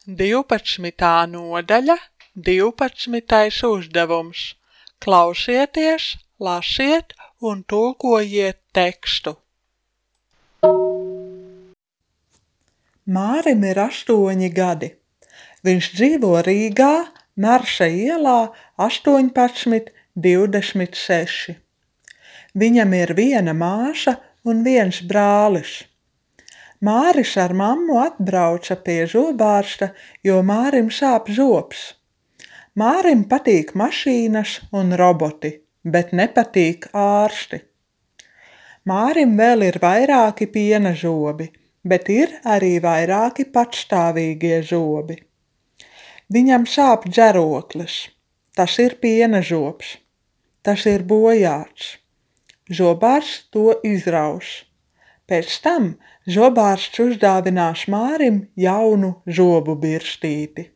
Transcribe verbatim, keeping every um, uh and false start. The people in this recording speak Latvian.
Divpadsmitā nodaļa, divpadsmitais uzdevums. Klausieties, lasiet un tulkojiet tekstu. Mārim ir astoņi gadi. Viņš dzīvo Rīgā, Marša ielā astoņpadsmit divdesmit seši. Viņam ir viena māsa un viens brālis. Māris ar mammu atbrauca pie zobārsta, jo Mārim sāp zobs. Mārim patīk mašīnas un roboti, bet nepatīk ārsti. Mārim vēl ir vairāki piena zobi, bet ir arī vairāki patstāvīgie zobi. Viņam sāp džeroklis. Tas ir piena zobs. Tas ir bojāts. Zobārsts to izraus. Pēc tam zobārsts uzdāvinās Mārim jaunu zobu birstīti.